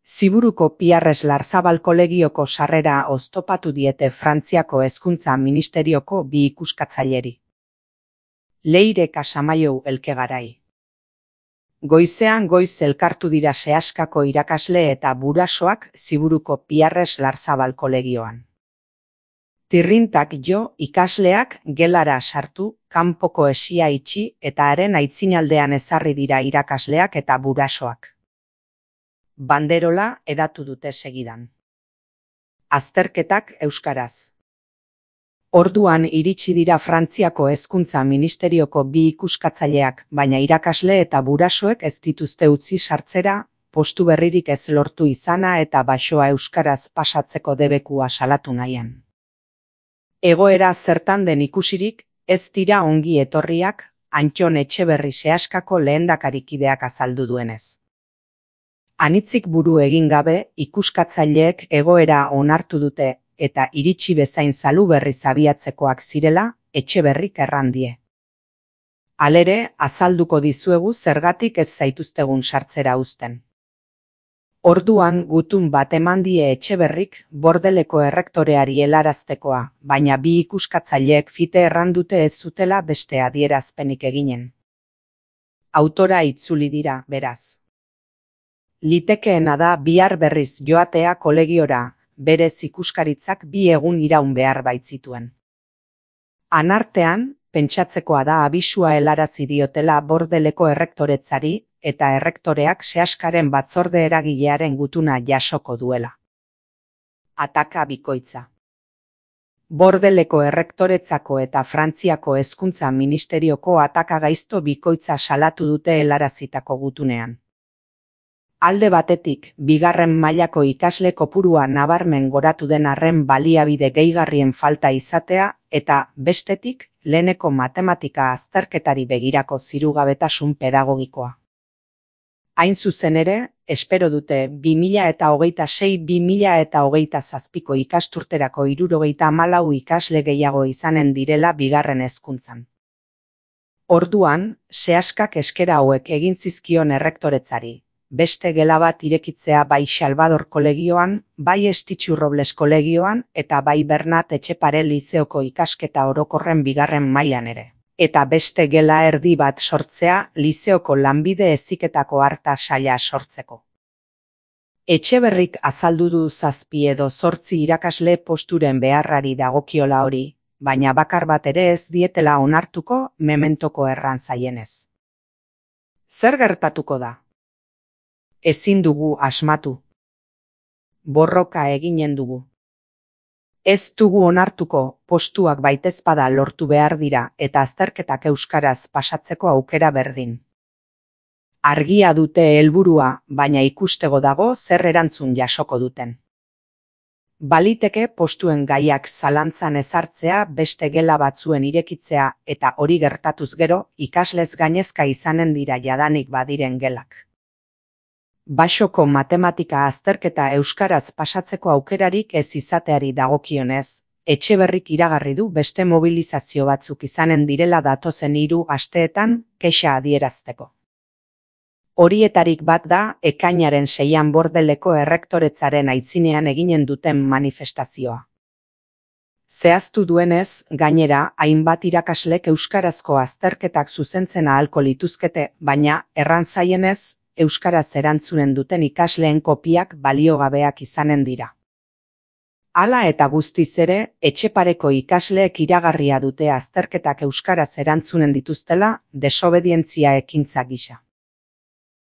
Ziburuko Piarres Larzabal kolegioko sarrera oztopatu diete Frantziako Hezkuntza Ministerioko bi ikuskatzaileri. Leire Casamaiou Elkegarai. Goizean goiz elkartu dira sehaskako irakasle eta burasoak Ziburuko Piarres Larzabal kolegioan. Tirrintak jo ikasleak gelara sartu, kanpoko hesia itxi eta haren aitzinaldean ezarri dira irakasleak eta burasoak. Banderola edatu dute segidan. Azterketak euskaraz. Orduan iritsi dira Frantziako Hezkuntza Ministerioko bi ikuskatzaileak, baina irakasle eta burasoek ez dituzte utzi sartzera, postu berririk ez lortu izana eta baxoa euskaraz pasatzeko debekua salatu nahian. Egoera zertan den ikusirik, ez dira ongi etorriak, Antton Etxeberri sehaskako lehendakarikideak azaldu duenez. Anitzik buru egin gabe, ikuskatzaileek egoera onartu dute eta iritsi bezain Saluberri abiatzekoak zirela, Etxeberrik errandie. Halere, azalduko dizuegu zergatik ez zaituztegun sartzera uzten. Orduan gutun bat eman die Etxeberrik Bordeleko errektoreari helaraztekoa, baina bi ikuskatzaileek fite errandute ez zutela beste adierazpenik eginen. Autora itzuli dira, beraz. Litekeena da bihar berriz joatea kolegiora, berez ikuskaritzak bi egun iraun behar baitzituen. Anartean, pentsatzekoa da abisua helarazi diotela Bordeleko errektoretzari eta errektoreak sehaskaren batzorde eragilearen gutuna jasoko duela. Ataka bikoitza. Bordeleko errektoretzako eta Frantziako Hezkuntza Ministerioko ataka gaizto bikoitza salatu dute helarazitako gutunean. Alde batetik, bigarren mailako ikasle kopurua nabarmen goratu den arren baliabide gehigarrien falta izatea eta, bestetik, leheneko matematika azterketari begirako zirugabetasun pedagogikoa. Hain zuzen ere, espero dute 2026-2027ko ikasturterako 74 ikasle gehiago izanen direla bigarren hezkuntzan. Orduan, sehaskak eskera hauek egin zizkion errektoretzari. Beste gela bat irekitzea bai Salvador kolegioan, bai Estitxu Robles kolegioan eta bai Bernat Etxepare lizeoko ikasketa orokorren bigarren mailan ere. Eta beste gela erdi bat sortzea lizeoko lanbide heziketako harta saila sortzeko. Etxeberrik azaldu du 7 edo 8 irakasle posturen beharrari dagokiola hori, baina bakar bat ere ez dietela onartuko mementoko erran zaienez. Zer gertatuko da? Ezin dugu asmatu. Borroka eginen dugu. Ez dugu onartuko, postuak baitezpada lortu behar dira eta azterketak euskaraz pasatzeko aukera berdin. Argia dute helburua, baina ikustego dago zer erantzun jasoko duten. Baliteke postuen gaiak zalantzan ezartzea beste gela batzuen irekitzea eta hori gertatuz gero ikaslez gainezka izanen dira jadanik badiren gelak. Baxoko matematika azterketa euskaraz pasatzeko aukerarik ez izateari dagokionez, Etxeberrik iragarri du beste mobilizazio batzuk izanen direla datozen 3 asteetan kexa adierazteko. Horietarik bat da ekainaren 6an Bordeleko errektoretzaren aitzinean eginen duten manifestazioa. Zehaztu duenez, gainera, hainbat irakaslek euskarazko azterketak zuzentzen ahalko lituzkete, baina erran zaienez, euskaraz erantzunen duten ikasleen kopiak baliogabeak izanen dira. Hala eta guztiz ere, Etxepareko ikasleek iragarria dute azterketak euskaraz erantzunen dituztela desobedientzia ekintza gisa.